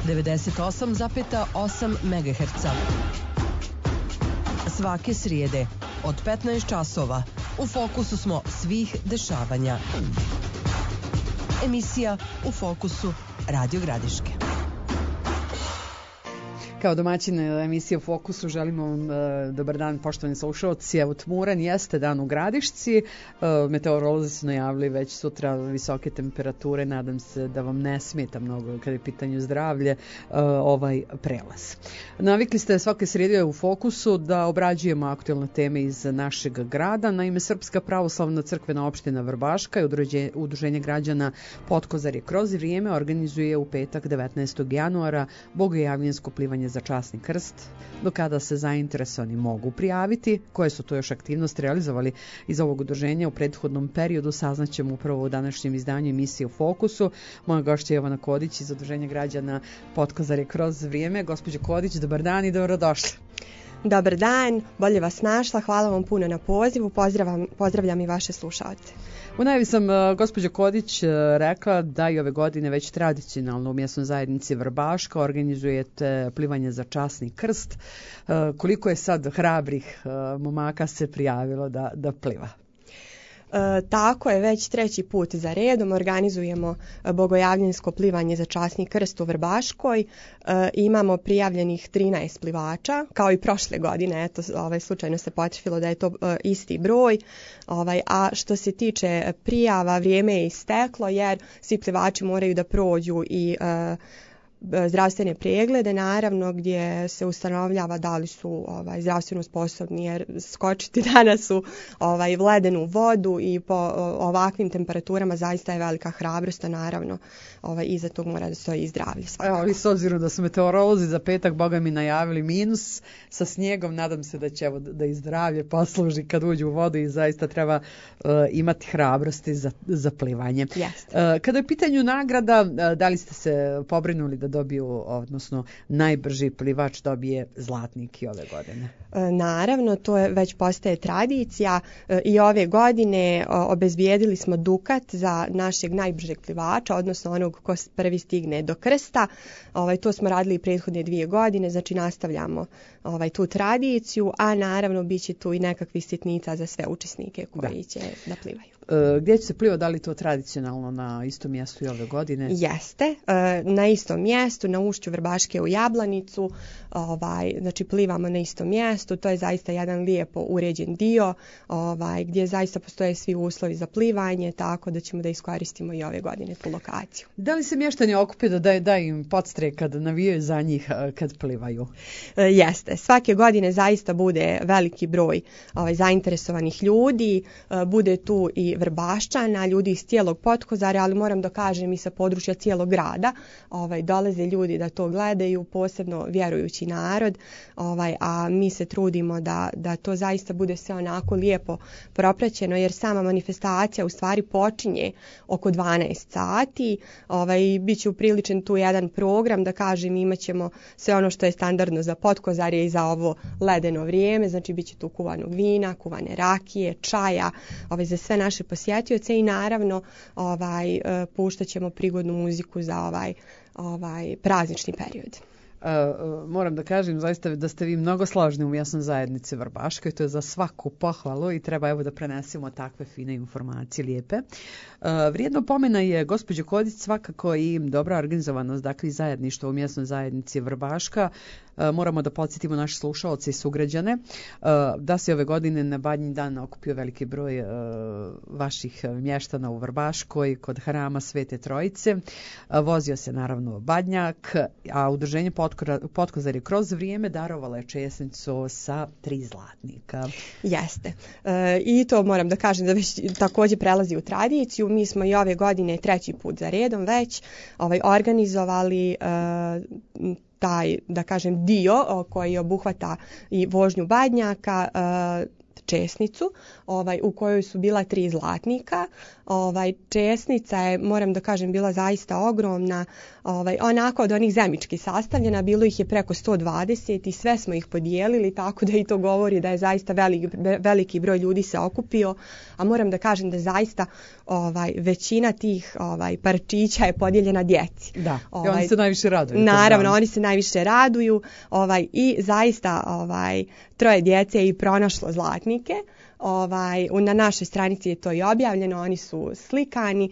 98,8 MHz. Svake srijede od 15 časova u fokusu smo svih dešavanja. Emisija U fokusu Radio Gradiške. Kao domaćin emisije U fokusu želimo vam dobar dan, poštovani slušalci. Evo, tmuran jeste dan u Gradišci. Meteorolozi su najavili već sutra visoke temperature. Nadam se da vam ne smeta mnogo kada je pitanje zdravlje ovaj prelaz. Navikli ste svake srijede U fokusu da obrađujemo aktualne teme iz našeg grada. Naime, Srpska pravoslavna crkvena opština Vrbaška i Udruženje građana Potkozarje kroz vrijeme organizuje u petak 19. januara bogojavljansko plivanje za časni krst. Do kada se zainteresovani mogu prijaviti, koje su to još aktivnosti realizovali iz ovog udruženja u prethodnom periodu, saznaćemo upravo u današnjem izdanju emisije U fokusu. Moja gošća je Jovana Kodić iz Udruženja građana Potkozarje kroz vrijeme. Gospođo Kodić, dobar dan i dobrodošli. Dobar dan, bolje vas našla, hvala vam puno na pozivu, pozdravljam i vaše slušalce. U najavi sam, gospođo Kodić, rekla da i ove godine već tradicionalno u mjesnoj zajednici Vrbaška organizujete plivanje za časni krst. Koliko je sad hrabrih momaka se prijavilo da pliva? Tako je, već treći put za redom organizujemo bogojavljansko plivanje za časni krst u Vrbaškoj. Imamo prijavljenih 13 plivača, kao i prošle godine, eto, slučajno se potrefilo da je to isti broj. A što se tiče prijava, vrijeme je isteklo jer svi plivači moraju da prođu i zdravstvene preglede, naravno, gdje se ustanovljava da li su zdravstveno sposobni, jer skočiti danas u ledenu vodu i po ovakvim temperaturama zaista je velika hrabrost, a naravno iza tog mora da stoji i zdravlje. Evo, s obzirom da su meteorolozi za petak, boga mi, najavili minus sa snijegom, nadam se da će da i zdravlje posluži kad uđu u vodu i zaista treba imati hrabrosti za plivanje. Kada je u pitanju nagrada, da li ste se pobrinuli da dobiju, odnosno najbrži plivač dobije zlatnik i ove godine? Naravno, to je već postaje tradicija i ove godine obezbijedili smo dukat za našeg najbržeg plivača, odnosno onog ko prvi stigne do krsta. To smo radili prethodne 2 godine, znači nastavljamo tu tradiciju, a naravno bit će tu i nekakvih sitnica za sve učesnike koji će da plivaju. Gdje će se pliva, da li to tradicionalno na istom mjestu i ove godine? Jeste, na istom mjestu, na ušću Vrbaške u Jablanicu, znači plivamo na istom mjestu, to je zaista jedan lijepo uređen dio, gdje zaista postoje svi uslovi za plivanje, tako da ćemo da iskoristimo i ove godine tu lokaciju. Da li se mještani okupe da im podstrek kad navijaju za njih kad plivaju? Jeste, svake godine zaista bude veliki broj zainteresovanih ljudi, bude tu i Vrbaščana, ljudi iz cijelog Potkozarja, ali moram da kažem i sa područja cijelog grada, dolaze ljudi da to gledaju, posebno vjerujući narod, a mi se trudimo da to zaista bude sve onako lijepo propraćeno, jer sama manifestacija u stvari počinje oko 12 sati, bit će upriličen tu jedan program, da kažem, imat ćemo sve ono što je standardno za Potkozarje i za ovo ledeno vrijeme, znači bit će tu kuvanog vina, kuvane rakije, čaja, za sve naše posjetioce i naravno puštat ćemo prigodnu muziku za ovaj praznični period. Moram da kažem zaista da ste vi mnogo složni u mjesnoj zajednici Vrbaškoj, to je za svaku pohvalu i treba evo da prenesemo takve fine informacije lijepe. Vrijedno pomena je, gospođo Kodić, svakako i dobra organizovanost, dakle i zajedništvo u mjesnoj zajednici Vrbaška. Moramo da podsjetimo naše slušaoce i sugrađane da se ove godine na Badnji dan okupio veliki broj vaših mještana u Vrbaškoj kod hrama Svete Trojice. Vozio se naravno Badnjak, a udruženje Potkozarje kroz vrijeme darovalo je česnicu sa 3 zlatnika. Jeste. I to moram da kažem da već također prelazi u tradiciju. Mi smo i ove godine 3. put za redom već organizovali taj, da kažem, dio koji obuhvata i vožnju Badnjaka, česnicu, u kojoj su bila 3 zlatnika. Česnica je, moram da kažem, bila zaista ogromna, onako od onih zemički sastavljena, bilo ih je preko 120 i sve smo ih podijelili, tako da i to govori da je zaista veliki broj ljudi se okupio, a moram da kažem da zaista većina tih parčića je podijeljena djeci. Da, i oni se najviše raduju. Naravno, oni se najviše raduju i zaista 3 djece je i pronašlo zlatnike. Na našoj stranici je to i objavljeno, oni su slikani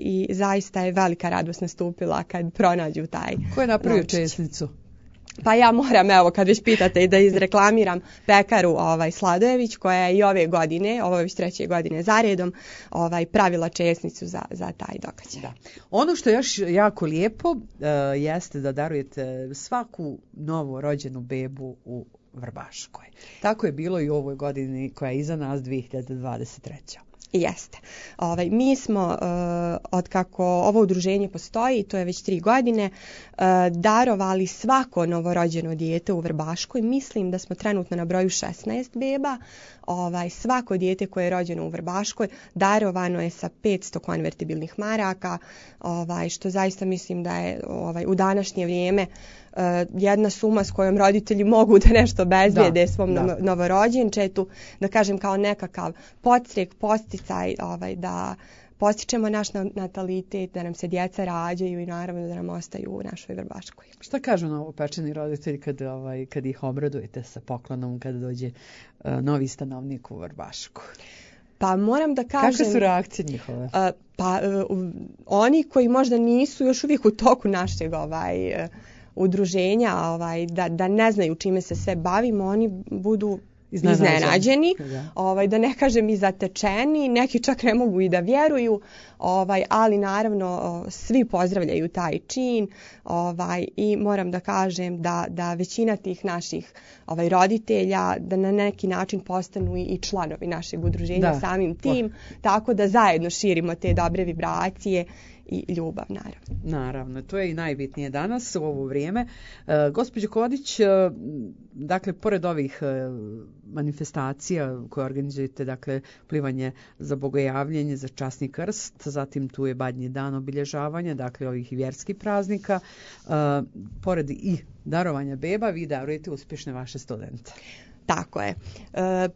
i zaista je velika radost nastupila kad pronađu taj. Ko je napravio česnicu? Pa ja moram, evo, kad već pitate, da izreklamiram pekaru Sladojević, koja je i ove godine, ovo je već 3. godine zaredom, pravila česnicu za taj događaj. Da. Ono što je još jako lijepo jeste da darujete svaku novo rođenu bebu u Vrbaškoj. Tako je bilo i u ovoj godini koja je iza nas, 2023. Jeste. Mi smo, otkako ovo udruženje postoji, to je već 3 godine, darovali svako novorođeno dijete u Vrbaškoj. Mislim da smo trenutno na broju 16 beba. Svako dijete koje je rođeno u Vrbaškoj darovano je sa 500 konvertibilnih maraka, što zaista mislim da je u današnje vrijeme jedna suma s kojom roditelji mogu da nešto obezbijede svom novorođenčetu, da kažem kao nekakav podstrek, posticaj, da postičemo naš natalitet, da nam se djeca rađaju i naravno da nam ostaju u našoj Vrbaškoj. Šta kažu novopečeni roditelji kad ih obradujete sa poklonom, kada dođe novi stanovnik u Vrbašku? Pa moram da kažem... Kakve su reakcije njihove? Oni koji možda nisu još uvijek u toku našeg udruženja, da ne znaju čime se sve bavimo, oni budu iznenađeni, da ne kažem i zatečeni, neki čak ne mogu i da vjeruju, ali naravno svi pozdravljaju taj čin i moram da kažem da većina tih naših roditelja da na neki način postanu i članovi našeg udruženja samim tim, tako da zajedno širimo te dobre vibracije i ljubav, naravno. Naravno, to je i najbitnije danas u ovo vrijeme. Gospođo Kodić, dakle, pored ovih manifestacija koje organizujete, dakle, plivanje za bogojavljenje, za časni krst, zatim tu je Badnji dan obilježavanja, dakle, ovih vjerskih praznika, pored i darovanja beba, vi darujete uspješne vaše studente. Tako je.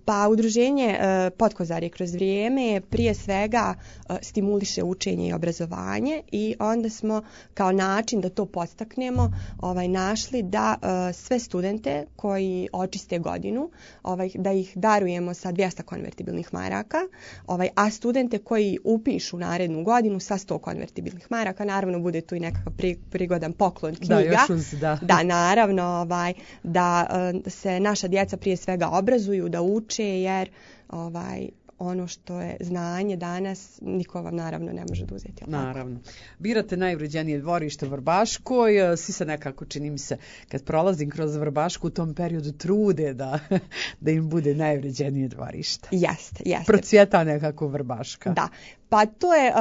Pa udruženje Potkozarje kroz vrijeme prije svega stimuliše učenje i obrazovanje i onda smo kao način da to podstaknemo našli da sve studente koji očiste godinu, da ih darujemo sa 200 konvertibilnih maraka, a studente koji upišu narednu godinu sa 100 konvertibilnih maraka, naravno bude tu i nekakav prigodan poklon knjiga. Da, naravno, da se naša djeca prije svega obrazuju, da uče, jer ono što je znanje danas niko vam naravno ne može da uzeti. Naravno. Birate najvrijednije dvorište u Vrbaškoj, svi se nekako, čini mi se, kad prolazim kroz Vrbašku u tom periodu trude da im bude najvrijednije dvorište. Jeste. Procvjeta nekako Vrbaška. Da. Pa to je,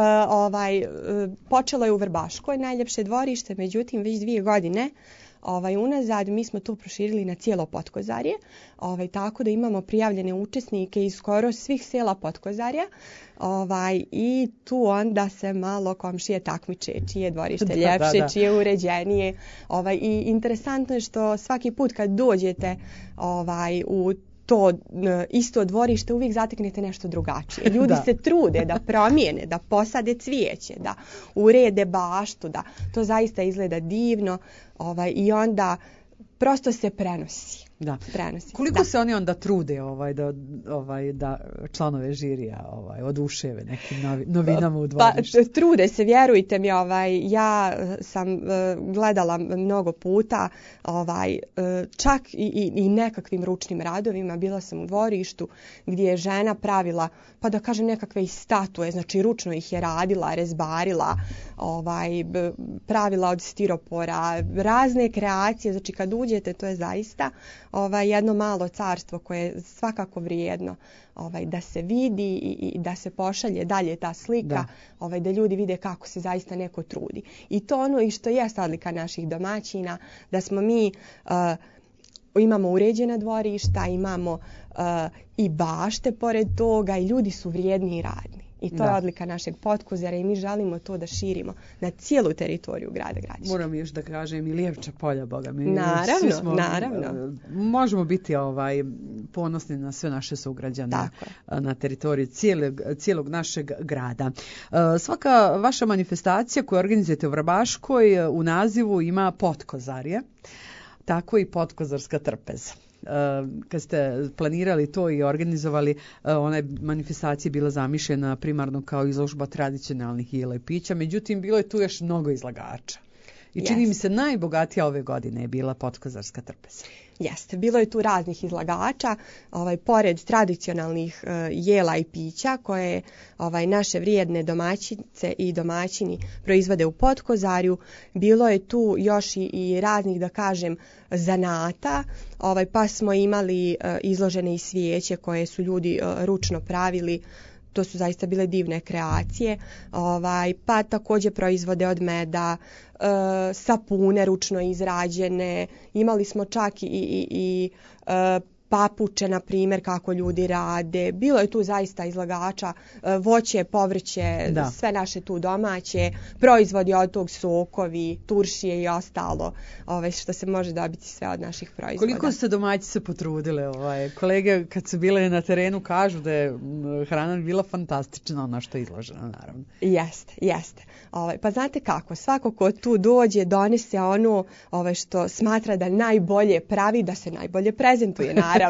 počelo je u Vrbaškoj najljepše dvorište, međutim već 2 godine unazad mi smo to proširili na cijelo Potkozarje, tako da imamo prijavljene učesnike iz skoro svih sela Potkozarja, i tu onda se malo komšije takmiče čije dvorište ljepše, čije uređenije, i interesantno je što svaki put kad dođete u to isto dvorište uvijek zateknete nešto drugačije. Ljudi se trude da promijene, da posade cvijeće, da urede baštu, da to zaista izgleda divno, i onda prosto se prenosi. Da. Koliko se oni onda trude da članove žirija oduševe nekim novinama u dvorištu? Pa trude se, vjerujte mi, ja sam gledala mnogo puta, čak i nekakvim ručnim radovima. Bila sam u dvorištu gdje je žena pravila, pa da kažem, nekakve statue, znači ručno ih je radila, rezbarila, pravila od stiropora, razne kreacije, znači kad uđete to je zaista jedno malo carstvo koje je svakako vrijedno da se vidi i da se pošalje dalje ta slika, da ljudi vide kako se zaista neko trudi. I to ono i što je odlika naših domaćina, da smo mi imamo uređena dvorišta, imamo i bašte pored toga i ljudi su vrijedni i radni. I to je odlika našeg Potkozara i mi želimo to da širimo na cijelu teritoriju grada Gradišta. Moram još da kažem i Lijevča polja, boga mi. Naravno. Možemo biti ponosni na sve naše sugrađane na teritoriji cijelog našeg grada. Svaka vaša manifestacija koju organizujete u Vrbaškoj u nazivu ima Potkozarje, tako i Potkozarska trpeza. Kad ste planirali to i organizovali, ona je manifestacija bila zamišljena primarno kao izložba tradicionalnih jela i pića, međutim bilo je tu još mnogo izlagača. I čini mi se najbogatija ove godine je bila Potkozarska trpeza. Jeste, bilo je tu raznih izlagača, pored tradicionalnih jela i pića koje naše vrijedne domaćice i domaćini proizvode u Potkozarju, bilo je tu još i raznih, da kažem, zanata, pa smo imali izložene i svijeće koje su ljudi ručno pravili. To su zaista bile divne kreacije, pa također proizvode od meda, sapune ručno izrađene, imali smo čak i papuče, na primjer, kako ljudi rade. Bilo je tu zaista izlagača, voće, povrće, sve naše tu domaće, proizvodi od tog, sokovi, turšije i ostalo, što se može dobiti sve od naših proizvoda. Koliko ste domaći se potrudile? Kolege kad su bile na terenu kažu da je hrana bila fantastična, ona što je izložena, naravno. Jeste. Pa znate kako, svako ko tu dođe donese ono što smatra da najbolje pravi, da se najbolje prezentuje, naravno.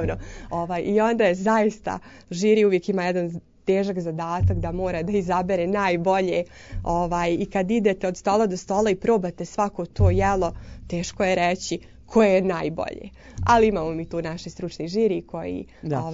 I onda je zaista žiri uvijek ima jedan težak zadatak da mora da izabere najbolje i kad idete od stola do stola i probate svako to jelo, teško je reći koje je najbolje. Ali imamo mi tu naše stručni žiri koji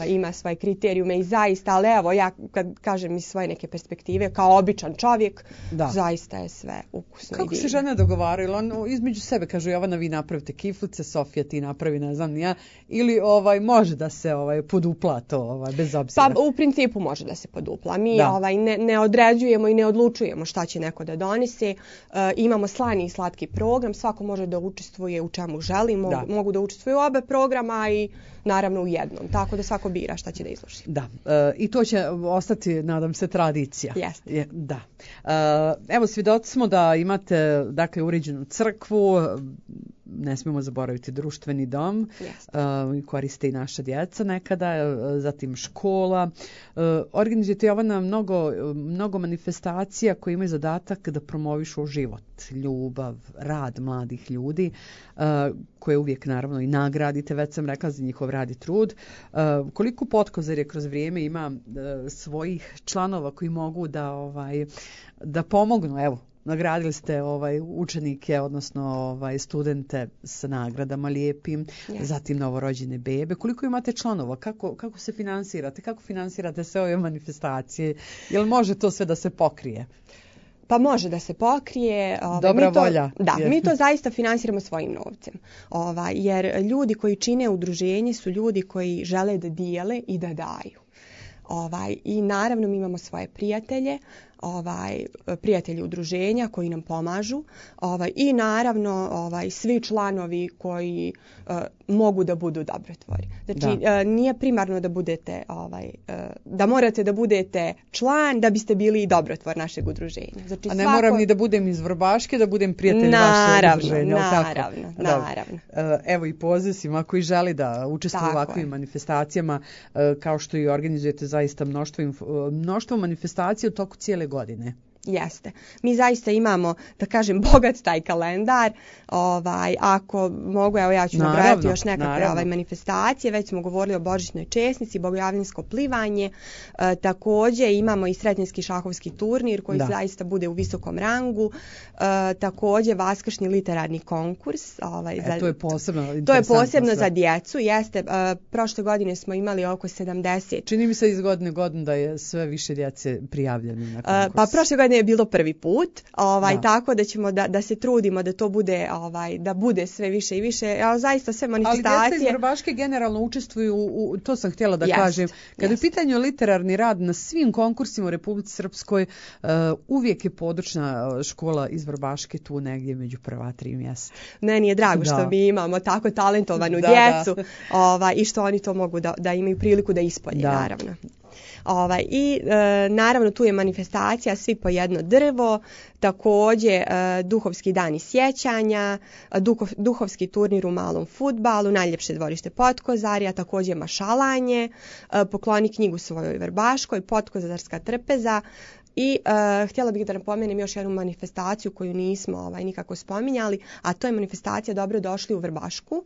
ima svoje kriterijume i zaista, ali evo ja kad kažem iz svoje neke perspektive kao običan čovjek, zaista je sve ukusno. Kako se žene dogovaraju? Između sebe kažu Jovana vi napravite kiflice, Sofija ti napravi ne znam ja, ili može da se podupla to bez obzira? Pa u principu može da se podupla. Mi ne određujemo i ne odlučujemo šta će neko da donese. Imamo slani i slatki program, svako može da učestvuje u čemu želi. Mogu da učestvuju u oba programa i naravno u jednom, tako da svako bira šta će da izloži. I to će ostati, nadam se, tradicija. Jeste. Evo, svjedoci smo da imate, dakle, uređenu crkvu, ne smijemo zaboraviti društveni dom, koriste i naša djeca nekada, zatim škola. Organizujete, Jovana, mnogo manifestacija koje imaju zadatak da promovišu život, ljubav, rad mladih ljudi, koje uvijek naravno i nagradite, već sam rekla, za njihov rad i trud. Koliko Potkozarje kroz vrijeme ima svojih članova koji mogu da pomognu, evo, nagradili ste učenike, odnosno studente sa nagradama lijepim, zatim novorođene bebe. Koliko imate članova? Kako se finansirate? Kako finansirate sve ove manifestacije? Jel može to sve da se pokrije? Pa može da se pokrije. Dobra volja. Da, mi to zaista finansiramo svojim novcem. Jer ljudi koji čine udruženje su ljudi koji žele da dijele i da daju. I naravno mi imamo svoje prijatelje, prijatelji udruženja koji nam pomažu i naravno svi članovi koji mogu da budu dobrotvori. Znači nije primarno da budete da morate da budete član da biste bili dobrotvor našeg udruženja. Znači, a ne moram ni da budem iz Vrbaške, da budem prijatelj vašeg udruženja. Naravno. Evo i poziv svima koji želi da učestvuju u ovakvim manifestacijama, kao što i organizujete zaista mnoštvo manifestacija u toku cijele godine. Jeste. Mi zaista imamo, da kažem, bogat taj kalendar. Ako mogu, evo ja ću nabrajati još nekakve manifestacije. Već smo govorili o božićnoj česnici, bogojavljansko plivanje. Također imamo i sretnjenski šahovski turnir koji zaista bude u visokom rangu. Također vaskršnji literarni konkurs. To je posebno. To je posebno za djecu. Jeste. Prošle godine smo imali oko 70. Čini mi se iz godine godinu da je sve više djece prijavljeno na konkurs. Pa prošle godine je bilo prvi put, tako da ćemo da se trudimo da to bude, da bude sve više i više. Zaista sve manifestacije. Ali djeca iz Vrbaške generalno učestvuju to sam htjela da kažem. Kada je u pitanju literarni rad na svim konkursima u Republici Srpskoj, uvijek je područna škola iz Vrbaške tu negdje među prva 3 mjesta. Meni je drago što mi imamo tako talentovanu djecu i što oni to mogu da imaju priliku da ispolje, naravno. I naravno tu je manifestacija svi po jedno drvo, također duhovski dani sjećanja, duhovski turnir u malom fudbalu, najljepše dvorište Potkozarja, također mašalanje, pokloni knjigu svojoj Vrbaškoj, Potkozarska trpeza. I htjela bih da napomenem još jednu manifestaciju koju nismo nikako spominjali, a to je manifestacija Dobrodošli u Vrbašku.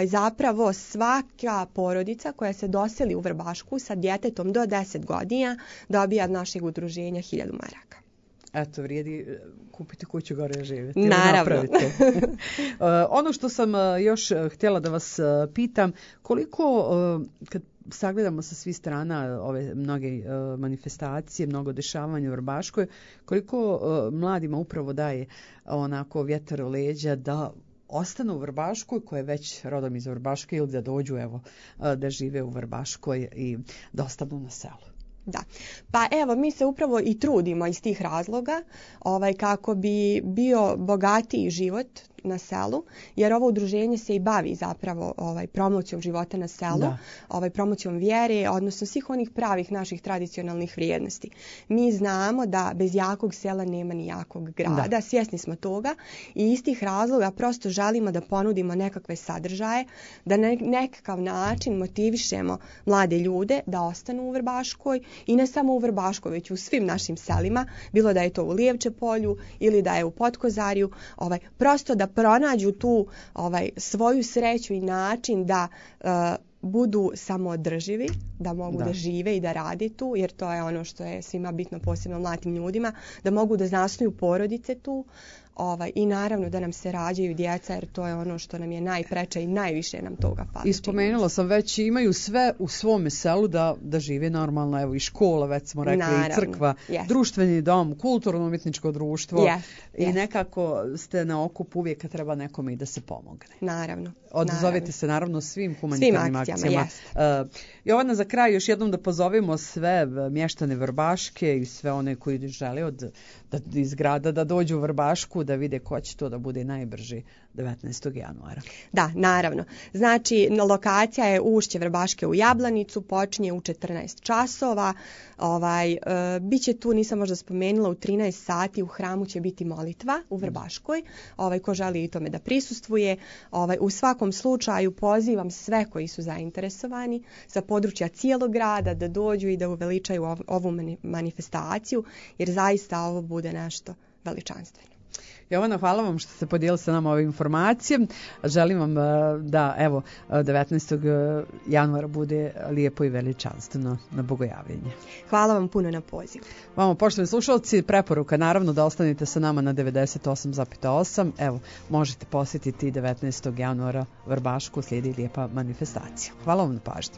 Zapravo svaka porodica koja se doseli u Vrbašku sa djetetom do 10 godina dobija od našeg udruženja 1000 maraka. Eto, vrijedi kupiti kuću gore živjeti. Naravno. Ono što sam još htjela da vas pitam, koliko, kad sagledamo sa svih strana ove mnoge manifestacije, mnogo dešavanja u Vrbaškoj, koliko mladima upravo daje onako vjetar u leđa da ostanu u Vrbaškoj, koja je već rodom iz Vrbaške, ili da dođu da žive u Vrbaškoj i da ostanu na selu. Da, pa evo mi se upravo i trudimo iz tih razloga kako bi bio bogatiji život na selu, jer ovo udruženje se i bavi zapravo promocijom života na selu, promocijom vjere, odnosno svih onih pravih naših tradicionalnih vrijednosti. Mi znamo da bez jakog sela nema ni jakog grada, svjesni smo toga i iz tih razloga prosto želimo da ponudimo nekakve sadržaje, da na nekakav način motivišemo mlade ljude da ostanu u Vrbaškoj i ne samo u Vrbaškoj, već u svim našim selima, bilo da je to u Lijevče polju ili da je u Potkozarju, prosto da pronađu tu svoju sreću i način da budu samoodrživi, da mogu da žive i da rade tu, jer to je ono što je svima bitno, posebno mladim ljudima, da mogu da zasnuju porodice tu, i naravno da nam se rađaju djeca, jer to je ono što nam je najpreče i najviše nam toga fali. I spomenula sam već, imaju sve u svome selu da žive normalno, evo i škola, već smo rekli, naravno, i crkva, društveni dom, kulturno-umjetničko društvo i nekako ste na okupu uvijek kad treba nekome i da se pomogne. Naravno. Odzovete se naravno svim humanitarnim akcijama. Jovana, za kraj još jednom da pozovemo sve mještane Vrbaške i sve one koji žele iz grada da dođu u Vrbašku, da vide ko će to da bude najbrži 19. januara. Da, naravno. Znači, lokacija je Ušće Vrbaške u Jablanicu, počinje u 14 časova. Biće tu, nisam možda spomenula, u 13 sati u hramu će biti molitva u Vrbaškoj. Ko želi i tome da prisustvuje. U svakom slučaju pozivam sve koji su zainteresovani sa područja cijelog grada da dođu i da uveličaju ovu manifestaciju, jer zaista ovo bude nešto veličanstveno. Jovana, hvala vam što ste podijelili sa nama ove informacije. Želim vam da 19. januara bude lijepo i veličanstveno na bogojavljenje. Hvala vam puno na pozivu. Vama, poštovani slušalci, preporuka naravno da ostanete sa nama na 98,8. Evo, možete posjetiti 19. januara Vrbašku, slijedi lijepa manifestacija. Hvala vam na pažnji.